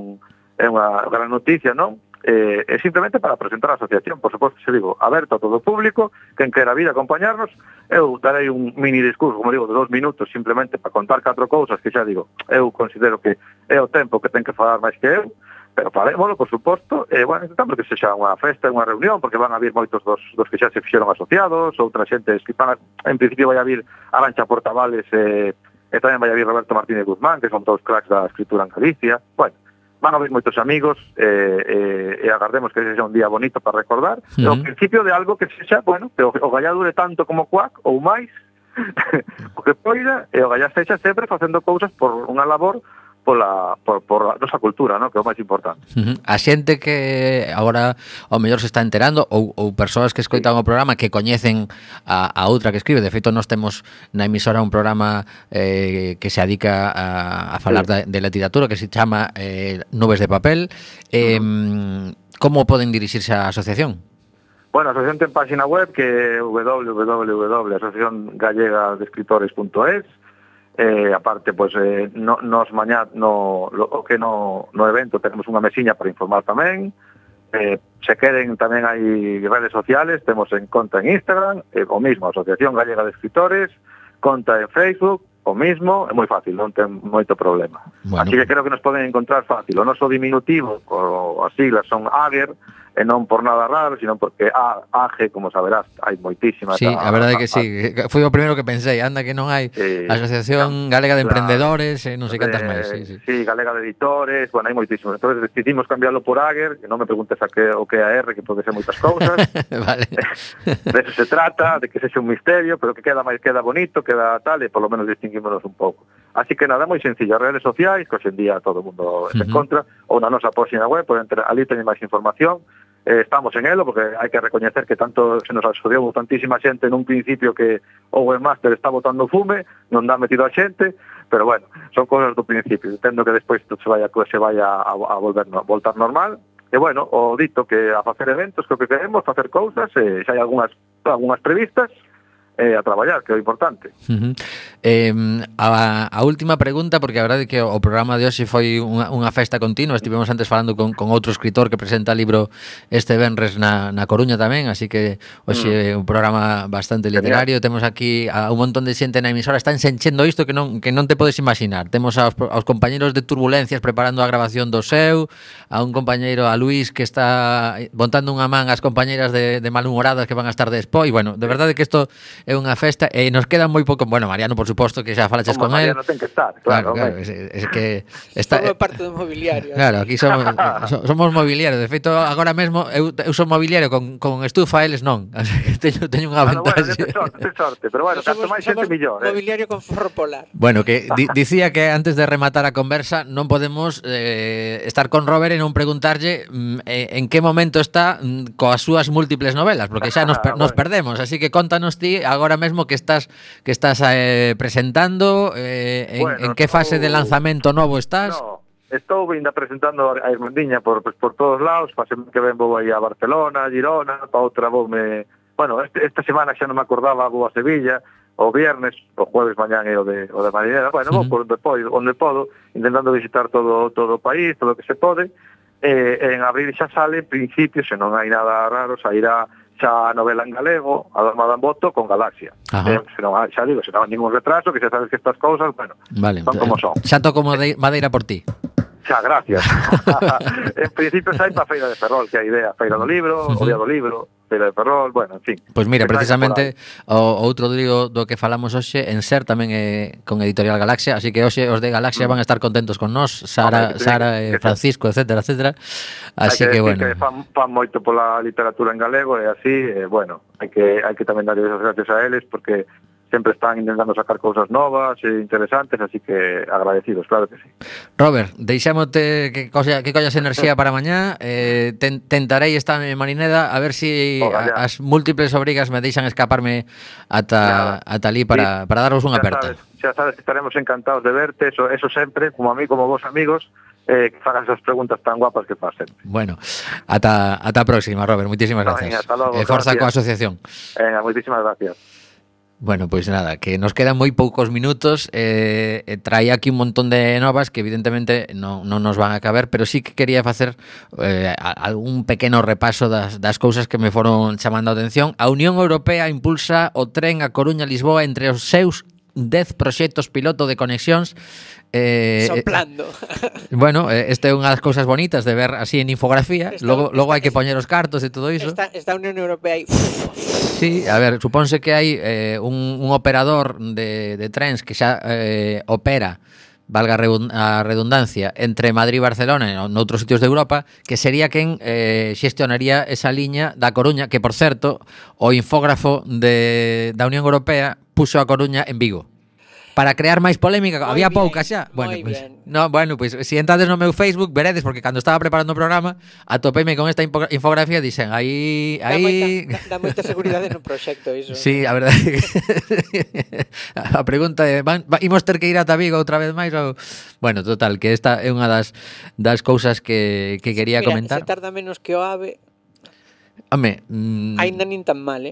unha gran noticia, non? É simplemente para presentar a asociación, por suposto, se digo, aberto a todo o público, quen quera vir a acompañarnos. Eu darei un mini discurso, como digo, de 2 minutos, simplemente para contar 4 cousas que xa digo, eu considero que é o tempo que ten que falar máis que eu, pero farémoslo, por suposto, e, bueno, intentamos que sexa unha festa, unha reunión, porque van a vir moitos dos que xa se fixeron asociados, outra xente que van en principio vai a vir Arancha Portavales e tamén vai a vir Roberto Martínez Guzmán, que son todos cracks da escritura en Galicia. Bueno, van a haber moitos amigos e agardemos que sexa un día bonito para recordar. O principio de algo que sexa, bueno, que o Gallá dure tanto como Cuac ou máis, o que poida, e o Gallá sexa sempre facendo cousas por unha labor por a nosa cultura, ¿no? Que é o máis importante. A xente que agora ao mellor se está enterando ou persoas que escoitan o programa que coñecen a outra que escribe. De feito, nós temos na emisora un programa que se dedica a falar de literatura, que se chama Nubes de Papel. Como poden dirixirse á asociación? Bueno, a asociación ten página web que é www.asociaciongallegadescritores.es. Aparte, pois, nos mañá no evento tenemos unha mesiña para informar tamén. Se queren, tamén hai redes sociales, temos en conta en Instagram, o mismo, Asociación Gallega de Escritores, conta en Facebook, o mismo, é moi fácil, non ten moito problema. Bueno. Así que creo que nos poden encontrar fácil. O noso diminutivo, as siglas son AGER, e non por nada raro, sino porque AGE, como saberás, hai moitísimas. Sí, a verdade que sí, foi o primeiro que pensei, anda que non hai Asociación Galega de Emprendedores, non sei cantas máis. Sí, Galega de Editores, bueno, hai moitísimos. Entón, decidimos cambiarlo por AGER, que non me preguntes o que é a R, que pode ser moitas cousas. Vale. De eso se trata, de que sexa un misterio, pero que queda bonito, queda tal, e por lo menos distinguímonos un pouco. Así que nada, moi sencillo, as redes sociais, que hoxe en día todo o mundo se encontra, ou na nosa página web, ali teñen máis información. Estamos en elo, porque hai que recoñecer que tanto se nos asociou tantísima xente nun principio que o webmaster está botando fume, non dá metido a xente, pero bueno, son cosas do principio. Entendo que despois se vaya a voltar normal. E bueno, o dito que a facer eventos, que o que queremos, facer cousas, xa hai algunhas previstas, a traballar, que é o importante. A última pregunta, porque a verdade é que o programa de hoxe foi unha festa continua. Estivemos antes falando con outro escritor que presenta libro este venres na Coruña tamén, así que hoxe é un programa bastante literario. Temos aquí a un montón de xente na emisora, están enchendo isto que non te podes imaginar. Temos aos compañeros de Turbulencias preparando a grabación do seu, a un compañeiro, a Luís, que está montando unha man ás compañeras de malhumoradas que van a estar despois. Bueno, de verdade que isto é unha festa e nos queda moi pouco. Bueno, Mariano, por suposto, que xa falaches con él. Mariano ten que estar, claro. Es que está parte do mobiliario. Claro, aquí somos mobiliario. De feito, agora mesmo eu son mobiliario con estufa, eles non. Así que teño unha ventaxe. Bueno, ten sorte, pero bueno, canto máis xente mellor. Mobiliario con forro polar. Bueno, que dicía que antes de rematar a conversa non podemos estar con Robert e non preguntarlle en que momento está coas súas múltiples novelas, porque xa nos perdemos, así que contanos ti agora mesmo que estás presentando, en que fase de lanzamento novo estás? No, estou ainda presentando a Irmandiña por todos lados. Fase que ven vou aí a Barcelona, a Girona, para outra voume... Bueno, esta semana xa non me acordaba, vou a Sevilla, o viernes, o jueves mañán e o de Marineda. Bueno, vou por onde podo, intentando visitar todo o país, todo o que se pode. En abril xa sale, en principio, se non hai nada raro, sairá xa a novela en galego, a Dama da Boto, con Galaxia. Se non hai ningún retraso, que xa sabes que estas cousas, bueno, vale, son como son. Xa toco madeira por ti. Xa, gracias. En principio xa hai para a Feira de Ferrol, que é a idea, Feira do Libro, o Día do Libro, Feira de Ferrol, bueno, en fin. Pois mira, precisamente o outro libro do que falamos hoxe en Ser tamén é con Editorial Galaxia, así que hoxe os de Galaxia van a estar contentos con nós, Sara e Francisco, etcétera, etcétera. Así que bueno. Que fan moito pola literatura en galego e así, bueno, hai que tamén darles as gracias a eles porque sempre están intentando sacar cousas novas e interesantes, así que agradecidos, claro que sí. Robert, deixámote que collas enerxía para mañá, tentarei estar en Marineda a ver si as múltiples obrigas me deixan escaparme ata ali para daros unha aperta. Xa sabes que estaremos encantados de verte, eso sempre, como a mí, como vos amigos, que fagan esas preguntas tan guapas que pasen. Bueno, ata a próxima, Robert, moitísimas gracias. Hasta logo, forza coa asociación. Moitísimas gracias. Bueno, pois nada, que nos quedan moi poucos minutos, trae aquí un montón de novas que evidentemente non nos van a caber, pero sí que quería facer algún pequeno repaso das cousas que me foron chamando a atención. A Unión Europea impulsa o tren a Coruña-Lisboa entre os seus 10 proxectos piloto de conexións. Soplando. Bueno, esta é unha das cousas bonitas de ver así en infografía. Logo hai que poñer os cartos e todo iso. Esta Unión Europea aí. Sí, a ver, supónse que hai un operador de trens que xa opera, valga a redundancia, entre Madrid e Barcelona e noutros sitios de Europa, que sería quen xestionaría esa liña da Coruña, que, por certo, o infógrafo da Unión Europea puxo a Coruña en Vigo. Para crear máis polémica, había pouca xa. Bueno, pues si entrades no meu Facebook veredes, porque cando estaba preparando o programa atopeime con esta infografía e dixen, aí dá moita seguridade no proxecto iso. Sí, a verdade que a pregunta é, imos ter que ir ata Vigo outra vez máis ou... Bueno, total, que esta é unha das cousas que quería comentar. Se tarda menos que o AVE. Home, aínda nin tan mal,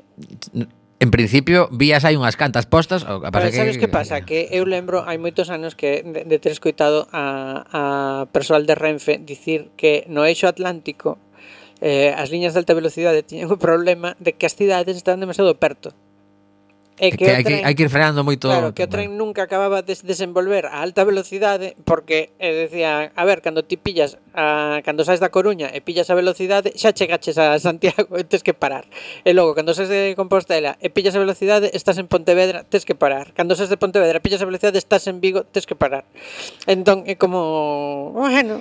En principio, vías hai unhas cantas postas. Pero sabes que pasa? Que eu lembro, hai moitos anos que de ter escoitado a persoal de Renfe dicir que no eixo atlántico as liñas de alta velocidade tiñan o problema de que as cidades estaban demasiado perto. E que hai que ir frenando moito. Claro, que o tren nunca acababa de desenvolver a alta velocidade porque decía, a ver, cando ti pillas cando saes da Coruña e pillas a velocidade xa chegaches a Santiago e tes que parar. E logo, cando saes de Compostela e pillas a velocidade estás en Pontevedra, tes que parar. Cando saes de Pontevedra e pillas a velocidade estás en Vigo, tes que parar. Entón, é como, bueno,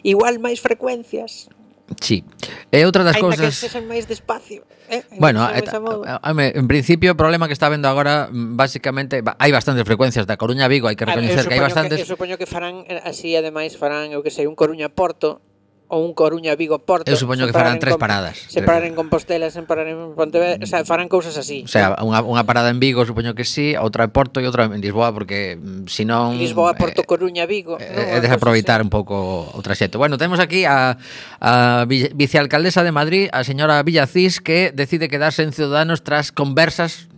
igual máis frecuencias. Sí. E outra das cousas... Ainda que sexan máis despacio. Bueno, en principio o problema que está vendo agora basicamente hai bastantes frecuencias da Coruña a Vigo, hai que recoñecer que hai bastantes. Eu supoño que farán así, ademais farán, eu que sei, un Coruña-Porto ou un Coruña-Vigo-Porto. Eu supoño que farán 3 paradas. Se parar en Compostela, se parar en Pontevedra, o sea, farán cousas así. O sea, unha parada en Vigo, supoño que sí, outra en Porto e outra en Lisboa, porque senón Lisboa, Porto, Coruña, Vigo, é desaproveitar un pouco o traxecto. Bueno, temos aquí a vicealcaldesa de Madrid, a señora Villacís, que decide quedarse en Ciudadanos tras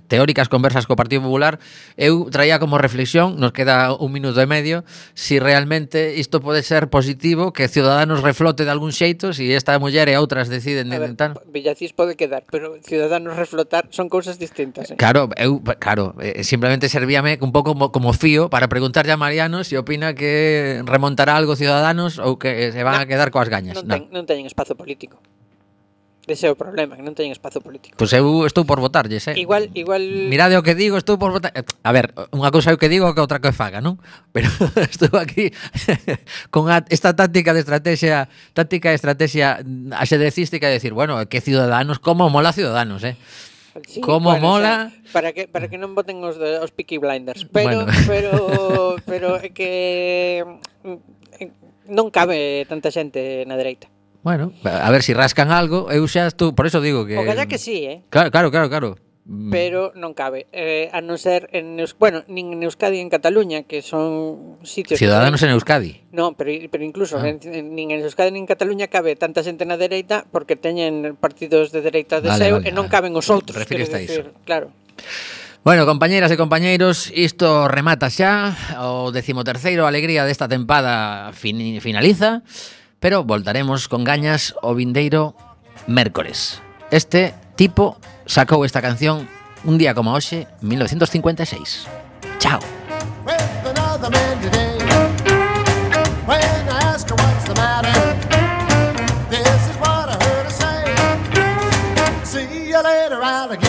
teóricas conversas co Partido Popular. Eu traía como reflexión, nos queda 1 minuto e medio, si realmente isto pode ser positivo, que Ciudadanos reflote de algún xeito, si esta muller e outras deciden intentar. Villacís pode quedar, pero Ciudadanos reflotar son cousas distintas. Claro, simplemente servíame un pouco como fío para preguntarlle a Mariano si opina que remontará algo Ciudadanos ou que se van a quedar coas gañas. Non teñen espazo político. Ese é o problema, que non teñen espazo político. Pois eu estou por votarlles, Igual... Mirade o que digo, estou por votar... A ver, unha cousa é o que digo que outra que faga, non? Pero estou aquí con esta táctica de estrategia axedrecística de decir, bueno, que Ciudadanos, como mola Ciudadanos, Sí, como mola... O sea, para que non voten os Peaky Blinders. Pero é que non cabe tanta xente na dereita. Bueno, a ver si rascan algo. Eu xa estou, por eso digo que... O calla que sí, Claro. Pero non cabe, a non ser nin en Euskadi en Cataluña, que son sitios... Ciudadanos en Euskadi. No, pero incluso nin en Euskadi nin en Cataluña cabe tanta xente na dereita porque teñen partidos de dereita de seu e non caben os outros. Refires a iso. Claro. Bueno, compañeras e compañeiros, isto remata xa, o 13º alegría desta tempada finaliza, pero voltaremos con gañas o vindeiro mércores. Este tipo sacou esta canción un día como hoxe, 1956. Chao. See you later, alligator.